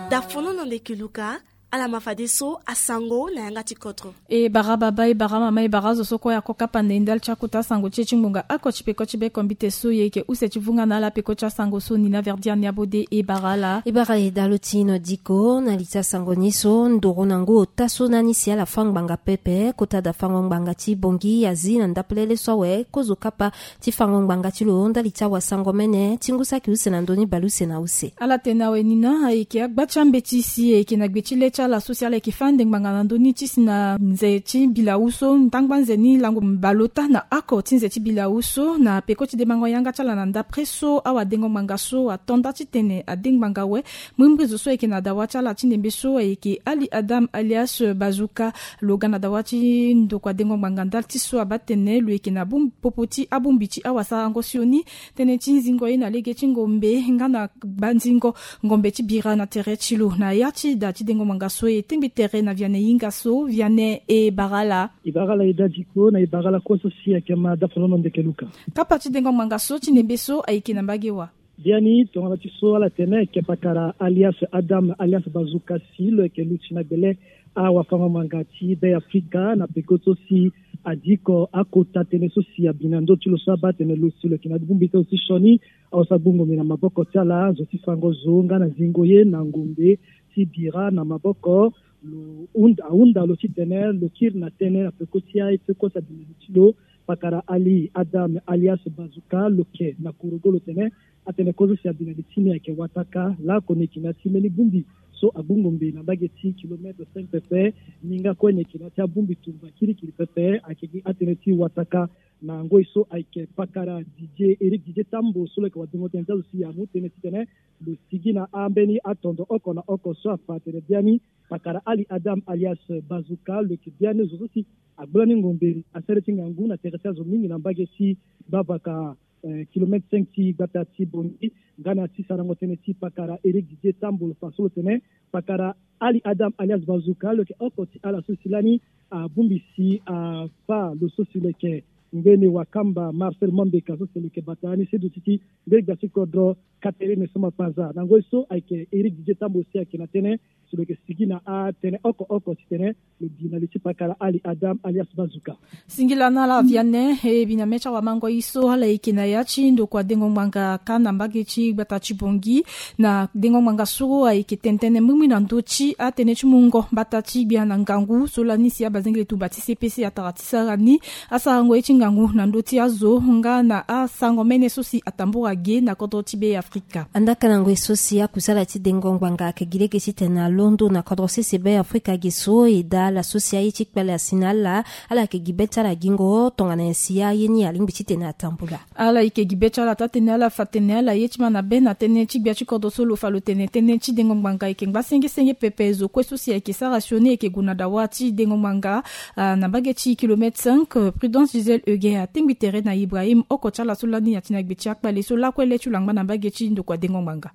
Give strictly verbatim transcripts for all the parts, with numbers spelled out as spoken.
Dafono na ndeke luka. Ala ma fadeso asango na yanga ti kodro. E bara baba, e bara mama, e bara azo so kue ako kapa na e ndali ti akota sango ti e ti ngbonga oko ti peko ti be kombite so e yeke use ti vunga na ala peko ti asango so ni na verdiane abode. E bara ala. E bara e dalo ti ino diko na li ti asango ni so ndoro na ngu ota so na ni si ala fâ ngbanga pepe kota dafango ngbanga ti bongi azi na ndapelele so awe kozo kapa ti fango ngbanga ti lo ndali ti awasango mene ti ngu saki use na ndö ni baleuse na use. Ala tene awe ni na ayeke agba ti ambeti si ayeke na gbe ti le ti ala so si ala yeke fâ ande ngbanga na ndö ni ti si na nze ti bilau so ntangbâ nze ni lango baleota na oko ti nze ti bilau so na peko ti demango yanga ti ala na ndapre so awadengo ngbanga so ato nda titene ade ngbanga awe. Mbrimbri zo so ayeke na dawa ti ala ti ndembe so ayeke ali adam alias bazuka. Lo ga na dawa ti ndokua dengo ngbanga ndali ti so abaa tene lo yeke na bum- popo ti abongbi ti awasarango sioni tënë ti zingo ye na lege ti ngombe nga na gbanzingo ngombe ti bira na tere ti lo na ya ti da ti dengo ngbanga so e tengbi tere na viane hinga so viane e bara ala. E bara ala e dadiko na e bara ala kue so si ayeke ma dafolono ndeke luka. Kapa ti dengo ngbanga so ti ndembe so ayeke na mbage wa. Biani tongana ti so ala tene ayeke pakara alias adam alias bazuka si lo yeke luti na gbele awafango ngbanga ti be afrika na peko so si adiko akota tënë so si abi na ndö ti lo so abaa tene lo si lo yeke na bongbi ti lo ti sioni. Aosa gbungo mbi na maboko ti ala zo ti fango zo nga na zingo ye na ngombe ti bira na maboko. Lo hunda ahunda lo titene lo kiri na tënë na peko ti aye peko so abi na li ti lo. Pakara ali adam alias bazuka lo ke na kurugo lo tene atene kozo si abi na li ti ni ayeke wataka laoko ni yeke na ti mbeni bongbi so agbungo mbi na mbage ti kilometre cinq pepe. Ni nga kue ni yeke na ti abongbi tumba kirikiri pepe ayeke gi atënë ti wataka. Na ngoi so ayeke pakara didie eric didie tambo so lo yeke wadengo tënë ti azo si amu tënë titene lo sigi na ambeni atondo oko na oko so afa atene biani pakara ali adam alias bazuka lo yeke biani zo so si agbola ni ngombe asere ti ngangu na tere ti azo mingi na mbage ti bavaka kilometre cinq ti gbata ti bongi. Nga na ti sarango tënë ti pakara eric didie tambo lo fa so lo tene pakara ali adam alias bazuka lo yeke oko ti ala so si lani abongbi si afa lo so si lo yeke ngbeni wakamba marcel mambeka so si lo yeke bata ni seduti ti ngbeni gbia ti kodro catherine so mapanza na ngoi so ayeke eric didie tambo si ayeke na tënë si lo yeke sigi na atënë oko oko titene lo gi na li ti pakara ali adam alias bazuka. Singila na ala viane e bi na mê ti awamango ye so ala yeke na ya ti ndokua dengo ngbanga kâ na mbage ti gbata ti bongi. Na dengo ngbanga so ayeke tene tënë mbimbri na ndö ti atënë ti mungo mbata ti gbia na ngangu so lani si abazengele tumba ti cpc atara ti sara ni asarango ye ti ngangu na ndö ti azo nga na asango mene so si atambura ge na kodro ti be afrika. Andaka na ngoi so si akusala ti dengo ngbanga ayeke gi lege titene alondo na kodro sese be afrika ge so e daa ala so si aye ti kpale asi na ala. Ala yeke gi be ti ala gingo tongana nyen si aye ni alingbi titene atambula. Ala yeke gi be ti ala taa tene ala fa tene ala ye ti ma na be na tënë ti gbia ti kodro so lo fa lo tene tënë ti dengo ngbanga ayeke ngba senge senge pepe zo kue so si ayeke sara sioni ayeke gue na dawa ti dengo ngbanga. Na mbage ti kilometre cinq prudence gisele euge atengbi tere na ibrahim oko ti ala so lani ati na gbe ti akpale so lakue le ti lo angba na mbage ti ndokua dengo ngbanga.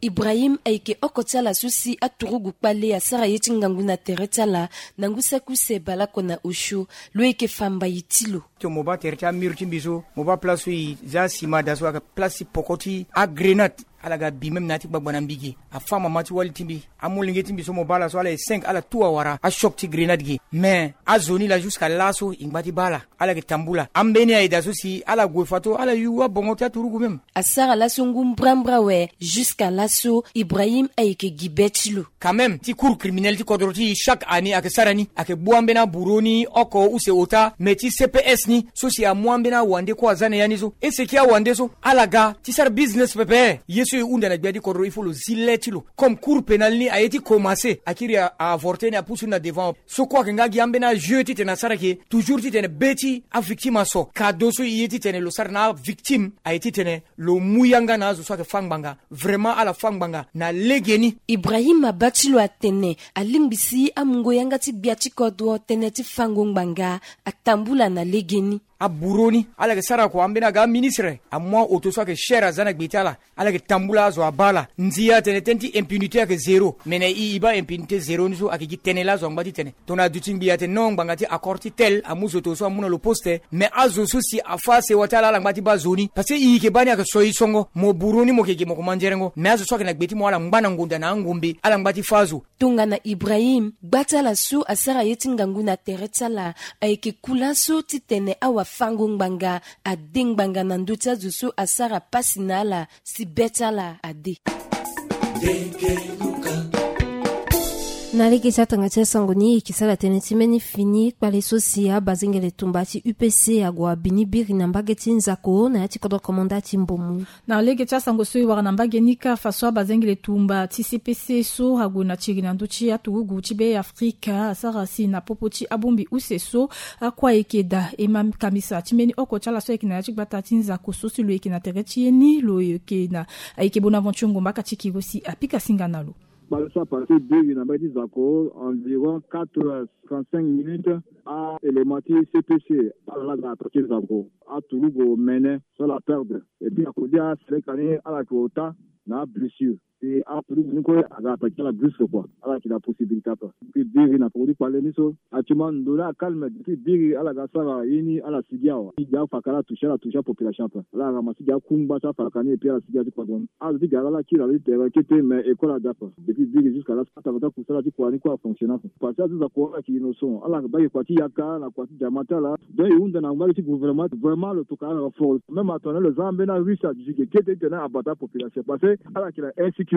Ibrahim ayeke oko ti ala so si aturugu kpale asara ye ti ngangu na tere ti ala na ngu saki use baleoko na osio. Lo yeke fa mbai ti lo. Ti mo baa tere ti amur ti mbi so mo baa place so e za sima daa so ayeke place ti poko ti agrenade. Ala ga bi même na ya ti gbagba na mbi ge afa mama ti wali ti mbi. Amolenge ti mbi so mo baa ala so ala e cinq ala tu awara achoc ti grenade ge. Mais azo ni laa jusqu'à laso e ngba ti baa ala. Ala yeke tambula ambeni aye daa so si ala gue fato ala yu abongo ti aturugu même. Asara laso ngu mbrambra awe. Jusqu'à laso ibrahim ayeke gi be ti lo. Quand même ti cour criminel ti kodro ti e chaque année ayeke sara ni ayeke gbu ambeni aburo ni oko use ota mais ti cps ni so si amu ambeni awande kue aza na ya ni so. Eseki awande so ala ga ti sara business pepe ye so e hunda na gbia ti kodro il faut lo zi le ti lo. Comme cour pénal ni aye ti komanse akiri a avorte ni apusu ni na devant. So kue ayeke nga gi ambeni ajeu titene asara ke toujours titene be ti avictime aso kado so e ye titene lo sara na avictime aye titene lo mu yanga na azo so ayeke fâ ngbanga. Vraiment ala fâ ngbanga na legeni. Ibrahim abaa ti lo atene alingbi si amungo yanga ti gbia ti kodro tënë ti fango ngbanga atambula na legeni. Aburo ni ala yeke sara kua ambeni aga aministre amu aoto so ayeke shere aza na gbe ti ala. Ala yeke tambula azo abaa ala. Ndia atene tënë ti impunité ayeke zéro. Me na e e baa impunité zéro ni so ayeke gi tënë laa azo angba ti tene tongana aduti ngbii atene non ngbanga ti accord ti tel amu zo to so amu na lo poste. Me azo so si afâ sewa ti ala ala ngba ti baa zo ni parce que e yeke baa ni ayeke so e songo mo buru ni mo yeke gi mo komanzerengo me azo so ayeke na gbe ti mo ala ngba na ngonda na angombe ala ngba ti fâ azo. Tongana ibrahim gba ti ala so asara ye ti ngangu na tere ti ala ayeke ku laso titene awafango ngbanga ade ngbanga na ndö ti azo so asara pasi na ala si be ti ala ade. Na lege ti atanga ti asango ni e yeke sara tënë ti mbeni fini kpale so si abazengele tumba ti upc ague abini biri na mbage ti nzako na ya ti kodro komanda ti mbomu. Na lege ti asango so e wara na mbage ni kâ fa so abazengele tumba ti cpc so ague na tiri na ndö ti aturugu ti be afrika asara si na popo ti abongbi use so akua eke daa e ma kamisa ti mbeni oko ti ala so ayeke na ya ti gbata ti nzako so si lo yeke na tere ti ye ni lo yeke na ayeke bonaventure ngomba aka ti kiri si apika singa na lo. Kpale so apase biri na mbage ti zako environ quatre heures trente-cinq minutes. Aélément ti cpc ala la ga attaqué zako aturugu mene so ala perdre. Et puis akodi aseleka ni ala yeke ota na ablessure. Pe aturugu ni kue aga attaqué ala brusque kua ala yeke na possibilité ape. Puis biri na poko ti kpale ni so actuellement ndo ni acalme depuis biri ala ga asara ye ni ala sigi awa ti gi afaka ala touché ala touché apopulation ape. Ala ramassé gi akungba ti afaka ni et puis ala sigi ala ti kodro ni azo ti gara ala kiri ala ti tere kete mais école ada ape. Depuis biri jusqu'à là atanga ti akusala ti kua ni kue afonctionné ape. Parce que azo ti zako ala yeke innocent ala yeke baa yeke kua ti yaka na kua ti diama ti ala. Donc e hunda na mbage ti gouvernement vraiment lo tokua ala renforce même atene lo za ambeni arusse aduti ge kete titene abata apopulation parce que ala yeke na insécurité.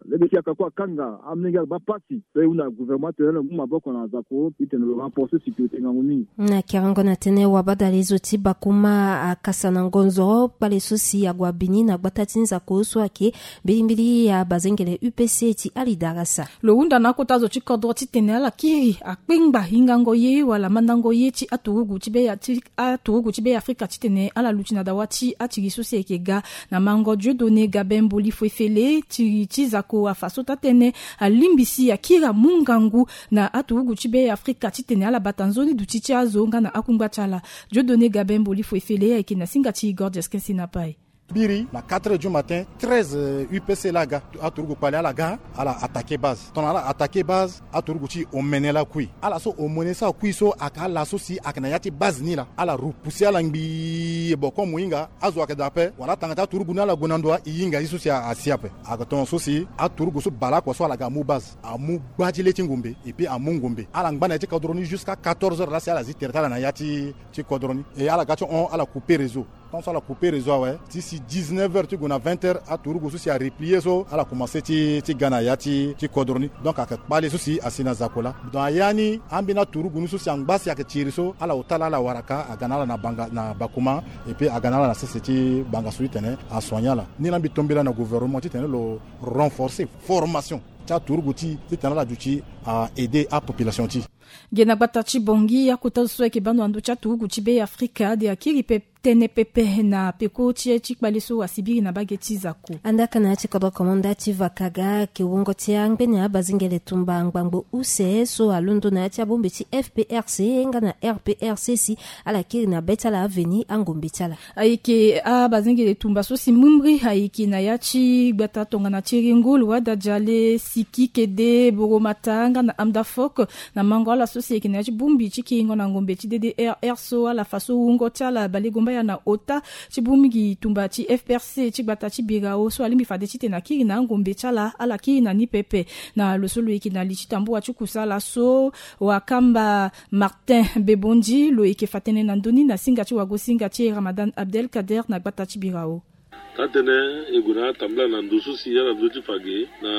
Lege ti yaka kue akanga amolenge ala baa pasi. Donc e hunda na gouvernement titene lo mu maboko na zako titene lo renforce sécurité ngangu mingi. Na kerengo na tënë wabadale zo ti bakuma akasa na ngonzo kpale so si ague abini na gbata ti nzako so ayeke mbilimbili ya bazengele upc ti ali darasa. Lo hunda na akota zo ti kodro titene ala kiri akpengba hingango ye wala mandango ye ti aturugu ti be ya ti aturugu ti be ya afrika titene ala luti na dawa ti atiri so si ayeke ga na mango dieudonné gabin mboli fo efele tiri ti zako afa so taa tënë alingbi si akiri amu ngangu na aturugu ti be ya afrika titene ala bata nzoni duti ti azo nga na akungba ti ala. Dieudonné gabin mboli fo efele ayeke na singa ti igor diaskin sinapai. Biri na quatre heures du matin treize upc laa aga aturugu kpale ala ga ala attaqué base tongana ala attaqué base aturugu ti omene laa kui ala so omene so akui so ayeke ala so si ayeke na ya ti base ni laa ala repoussé ala ngbii boko mo hinga azo ayeke daa ape wala atanga ti aturugu ni ala gue na ndo aye hinga ye so si asi ape. Ayeke tongana so si aturugu so baleakua so ala ga amu base amu gba ti le ti ngombe epui amu ngombe ala ngba na ya ti kodro ni jusqu'à quatorze heures laa si ala zi tere ti ala na ya ti kodro ni. E ala ga ti hon ala coupé réseau. Tant so ala coupé réseau awe ti si dix-neuf heures ti gue na vingt heures aturugu so si areplié so ala komanse ti ti ga na ya ti ti kodro ni. Donc ayeke kpale so si asi na zako laa donc aya ni ambeni aturugu ni so si angba si ayeke tiri so ala ota laa ala wara ka aga na ala na banga na bakuma. Epui aga na ala na sese ti banga so ti tene asoigné ala ni laa mbi tombela na gouvernement ti tene lo renforcer formation ti aturugu ti titene ala duti a aider apopulation ti. Ge na gbata ti bongi akota zo so ayeke bando na ndö ti aturugu ti be afrika ade akiri pe tënë pepe na peko ti ye ti kpale so asibiri na bage ti zako. Andaka na ya ti kodro komanda ti vakaga ayeke wungo ti angbene abazengele tumba ngbangbo use so alondo na ya ti abongbi ti fprc nga na rprc si ala kiri na be ti ala aveni angombe ti ala. Ayeke abazengele tumba so si mbrimbri ayeke na ya ti gbata tongana ti ringo luwada diale siki kede boromata nga na amda fok na mango ala so si ayeke na ya ti bongbi ti kiringo na ngombe ti ddrr so ala fa so wungo ti ala balegomba ya na ota ti bongbi tumba ti fprc ti gbata ti birao so alingbi fade titene akiri na angombe ti ala ala kiri na ni pepe. Na lo so lo yeke na li ti tambua ti kusala so wakamba martin bebondi lo yeke fa tënë na ndö ni na singa ti wagosinga ti ramadan abdel kader na gbata ti birao. Taa-tënë e gue na atambula na ndo so si ala ndo ti fa ge na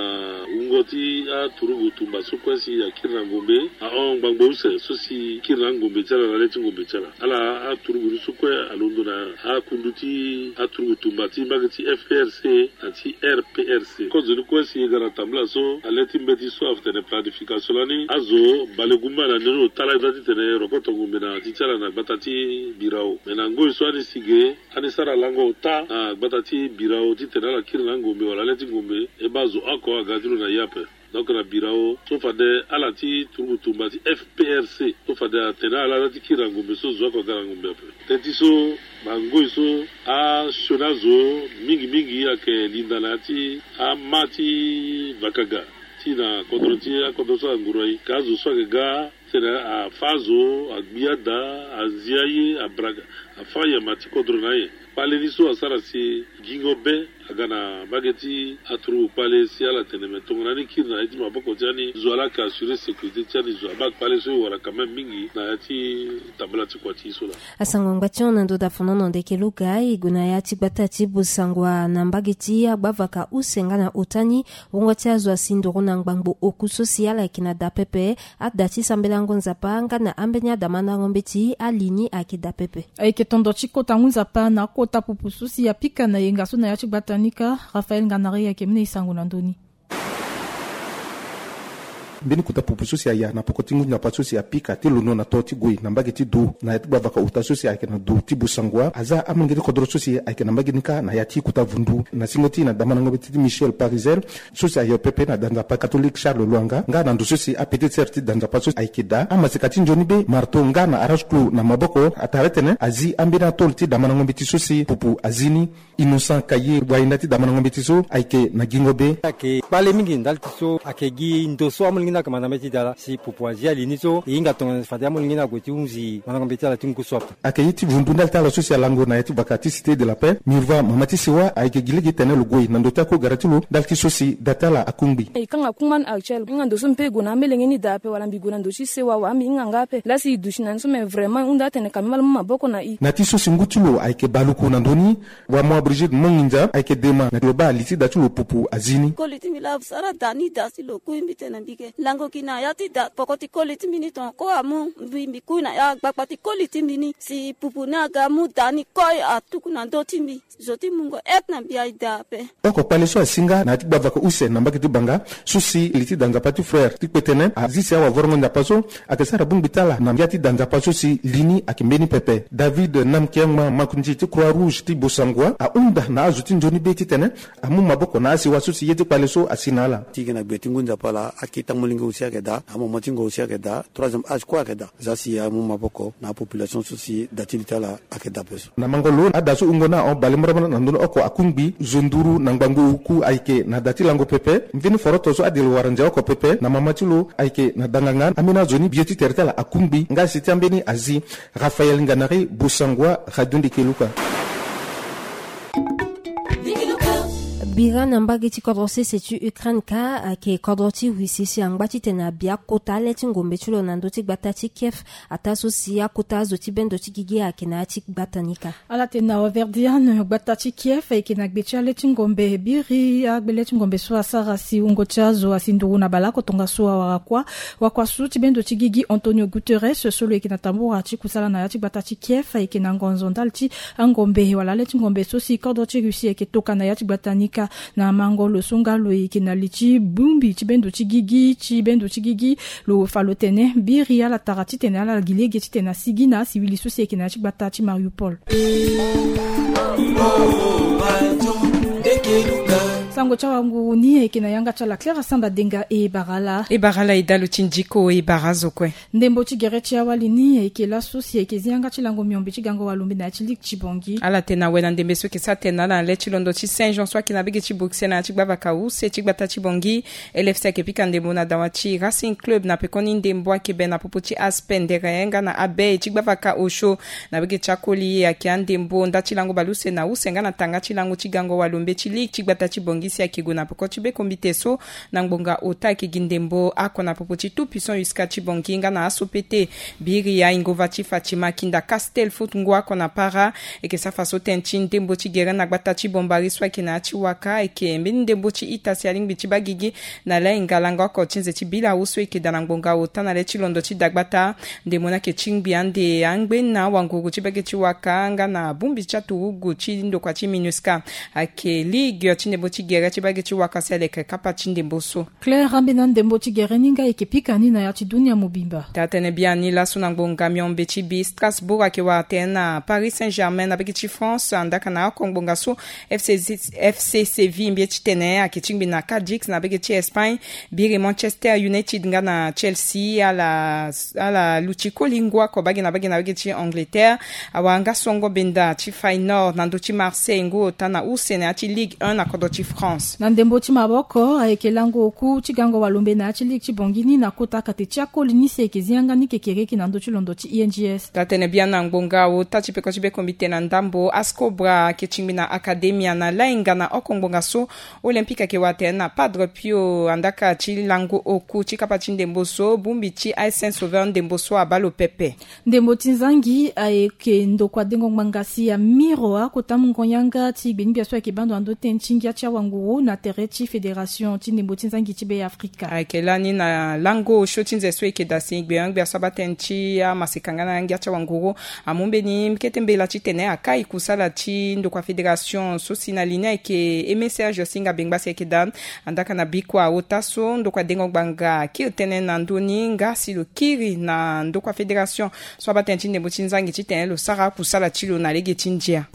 wungo ti aturugu tumba so kue si akiri na ngombe ahon ngbangbo use so si kiri na angombe ti ala na le ti ngombe ti ala ala aturugu ni so kue alondo na akundu ti aturugu tumba ti mbage ti fprc na ti rprc. Kozo ni kue si e ga na tambula so na le ti mbeti so afa tene planification lani azo bale gumba na ni lo tala eza titene rokoto ngombe na ti ti ala na gbata ti birao me na ngoi so ani si ge ani sara lango ota na gbata ti birao titene ala kiri na angombe wala le ti ngombe e baa zo oko aga ti lo na ye ape. Donc na birao so fade ala ti turugu tumba ti F P R C so fade atene ala ala ti kiri na ngombe so zo oko aga na ngombe ape. Teti so bangoi so asioni azo mingi mingi ayeke linda na ya ti ama ti vakaga ti na kodro ti akodro so anguru aye ka azo so ayeke ga tene afa azo agbi ada azi aye abraka afa nyama ti kodro na aye. Kpale ni so asara si gingo be aga na mbage ti aturugu kpale si ala tene me tongana ni kiri na ya ti maboko ti ani zo ala yeke assurer sécurité ti ani zo abaa kpale so e wara quand même mingi na ya ti tambala ti kua ti e so laa. Asango ngba ti hon na ndo da fonono ndeke luga e gue na ya ti gbata ti busangwa na mbage ti agbavaka use nga na ota ni. Wungo ti azo asi nduru na ngbangbo oku so si ala yeke na da pepe. Ada ti sambelango nzapa nga na ambeni adamandango mbeti ali ni ayeke da pepe. Ayeke tondo ti kota ngu nzapa na akota pupu so si apika na yenga so na ya ti gbata ni kâ. Raphaël Nganari ayeke mu na e sango na ndö ni. Mbeni kota pupu so si aya na poko ti ngu nzapa so si apika ti londo na to ti gue na mbage ti du na ya ti gbavaka ota so si ayeke na du ti busangwa aza amolenge ti kodro so si ayeke na mbage ni kâ na ya ti kota vundu na singo ti na damandango mbeti ti Michel Parisel. So si ayo pepe na danzapa catholique Charles Lwanga nga na ndo so si apetite sœur ti danzapa so ayeke daa amaseka ti nzoni be marteau nga na arrache clou na maboko atara titene azi ambeni atôle ti damandango mbeti so si pupu azi ni. Innocent Kaye wahinda ti damandango mbeti so ayeke na gingo be. Ayeke kpale mingi ndali ti so ayeke gi ndo so amolenge ni ayeke manda mbeti ti da laa si pupu azi ali ni so e hinga tongana fade amolenge ni ague ti hunzi mandango mbeti ti ala ti ngu so ape. Ayeke ye ti vundu ndali ti ala so si alango na ya ti vaka ti Cité de la Paix Mirva mama ti sewa ayeke gi lege tene lo gue na ndo ti akogara ti lo ndali ti so si da ti ala akungbi. E kanga kungba ni actuel nga ndo so mpe e gue na amelenge ni daa ape wala mbi gue na ndo ti sewa wala mbi hinga nga ape laa si e duti na ni so me vraiment e hunda atene ka mbi ma lo mu maboko na e. Na ti so si ngu ti lo ayeke baluku na ndö ni. Wamoa Brigitte Monginza ayeke dema na lo baa li ti da ti lo pupu azi ni. Koli ti mbi laa sara da ni da si lo kui mbi tene mbi ke lango gi na ya ti da poko ti koli ti mbi ni tongana ko amu mbi mbi kui na ya gbakpa ti koli ti mbi ni si pupu ni aga amu da ni koi atuku na ndö ti mbi. Zo ti mungo ete na mbi aye da ape. Oko kpale so asi nga na ya ti gbavaka use na mbage ti banga so si li ti da nzapa ti frère ti kpe tënë azi si awavorongo nzapa so ayeke sara bongbi ti ala na ya ti da nzapa so si li ni ayeke mbeni pepe. David Namkiangma makonzi ti Croix Rouge ti Bosangwa ahunda na azo ti nzoni be titene amu maboko na asiwa so si ye ti kpale so asi na ala. Ti gi na gbe ti ngu nzapa laa akita molenge aussi ayeke daa amama ti ngo aussi ayeke daa troisième âge kue ayeke daa. Za si amu maboko na apopulation so si da ti li ti ala ayeke daa ape so. Na mango lo ada so hungo ni ahon bale mbrambra na ndoni oko akungbi zo nduru na ngbangbo oku ayeke na da ti lango pepe. Mveni foroto so ade lo wara nze oko pepe na mama ti lo ayeke na danganga ambeni azo ni bie ti tere ti ala akungbi nga si ti ambeni azi. Raphaël Nganari Bosangwa, Radio Ndeke Luka. Bira na mbage ti kodro sese ti Ukraine kâ ayeke kodro ti Russie si angba titene abia kota ale ti ngombe ti lo na ndö ti gbata ti Kiev. Ataa so si akota azo ti bendo ti gigi ayeke na ya ti gbata ni kâ. Ala tene na Auverdian gbata ti Kiev ayeke na gbe ti ale ti ngombe biri agbele ti ngombe so asara si wungo ti azo asi nduru na baleoko tongaso awara kuâ. Wakua so ti bendo ti gigi Antonio Guterres so lo yeke na tambura ti kusala na ya ti gbata ti Kiev ayeke na ngonzo ndali ti angombe wala ale ti ngombe so si kodro ti Russie ayeke toka na ya ti gbata ni kâ. Na mango lo so nga lo yeke na li ti bongbi ti bendo ti gigi ti bendo ti gigi lo fa lo tene biri ala tara titene ala gi lege titene asigi na asiwili so si ayeke na ya ti gbata ti Mariupol. Sango ti awanguru ni ayeke na yanga ti ala Clara Samba Denga. E bara ala. E bara ala e dalo ti ndiko e bara azo kue. Ndembo ti gere ti awali ni ayeke laso si ayeke zi yanga ti lango miombe ti gango walombe na ya ti ligue ti Bangui. Ala tene awe na ndembe so ayeke sara tene na ala na le ti londo ti Saint Jean so ayeke na bege ti Bruxelles na ya ti gbavaka use ti gbata ti Bangui. L F C ayeke pika ndembo na dawa ti Racing Club na pekoni ndembo ayeke be na popo ti Aspe Ndere nga na Abe ti gbavaka osio. Na bege ti akoli ayeke andembo nda ti lango baleuse na use nga na tanga ti lango ti gango walombe ti ligue ti gbata ti Bangui si ayeke gue na peko ti be kombite so. Na ngbonga ota ayeke gi ndembo oko na popo ti Tout Puissant U S C A ti Bangui nga na aso pete. Biri aingova ti Fatima Kinda Castel Foot ngu oko na para. Ayeke safa so tënë ti ndembo ti gere na gbata ti Bombari so ayeke na ya ti waka ayeke mbeni ndembo ti ita si alingbi ti baa gigi. Na lainga lango oko ti nze ti bilawu so ayeke daa na ngbonga ota na le ti londo ti dagbata. Ndembo ni ayeke tingbi ande angbe na wanguru ti bege ti waka nga na bongbi ti aturugu ti ndokua ti MINUSCA. Ayeke ligue ti ndembo ti gere Tere ti bage ti waka si aleke kapa ti ndembo so. Claire ambeni andembo ti gere ni nga eke pika ni na ya ti dunia mobimba. Taa tene biani laso na ngbonga miombe ti bi Strasbourg ayeke wara tene na Paris Saint-Germain na bage ti France andaka na oko ngbonga so. F C C Séville mbie ti tene ayeke tingbi na Cadix na bage ti Espagne. Biri Manchester United nga na Chelsea ala luti koli ngu oko bage na bage na bage ti Angleterre. Awara nga songo benda ti Feyenoord na ndö ti Marseille ngu ota na use na ya ti Ligue un na kodro ti France. Na ndembo ti maboko ayeke lango oku ti gango walombe na ya ti ligue ti bongi ni na kota kate ti akoli ni si eke zi yanga ni kekereke na ndö ti londo ti I N G S. Taa tene biani na ngbonga ota ti peko ti bekombite na ndambo Ascobra ayeke tingbi na Academia na lainga na oko ngbonga so. Olympique ayeke wara tene na Padre Pio andaka ti lango oku ti kapa ti ndembo so bongbi ti Aix Saint Sauveur ndembo so abaa lo pepe. Ndembo ti nzangi ayeke ndokua dengo ngbanga si amiro akota mungo yanga ti gbengbia so ayeke baa ndo na ndö tënë ti ngia ti awanguru na tere ti fédération ti ndembo ti nzangi ti Be Afrika. Ayeke lani na lango osio ti nze so eke daa si gbengbia so abaa tënë ti amaseka nga na ngia ti awanguru. Amu mbeni kete mbela titene akai kusala ti ndokua fédération so si na li ni ayeke Aimé Serge Singa Bengba si ayeke daa. Andaka na bikua ota so ndokua dengo ngbanga akiri tënë na ndö ni nga si lo kiri na ndokua fédération so abaa tënë ti ndembo ti nzangi titene lo sara akusala ti lo na lege ti ndia.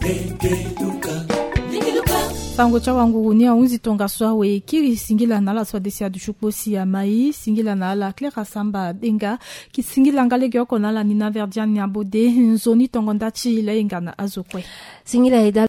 Sango ti awanguru ni ahunzi tongaso awe kiri singila na ala so adesi adusu kpo si amai singila na ala Claire Asamba Denga. Ki singila nga legeoko na ala ni na Verdiane Abode. Nzoni tongo nda ti lainga na azo kue. Singila eda.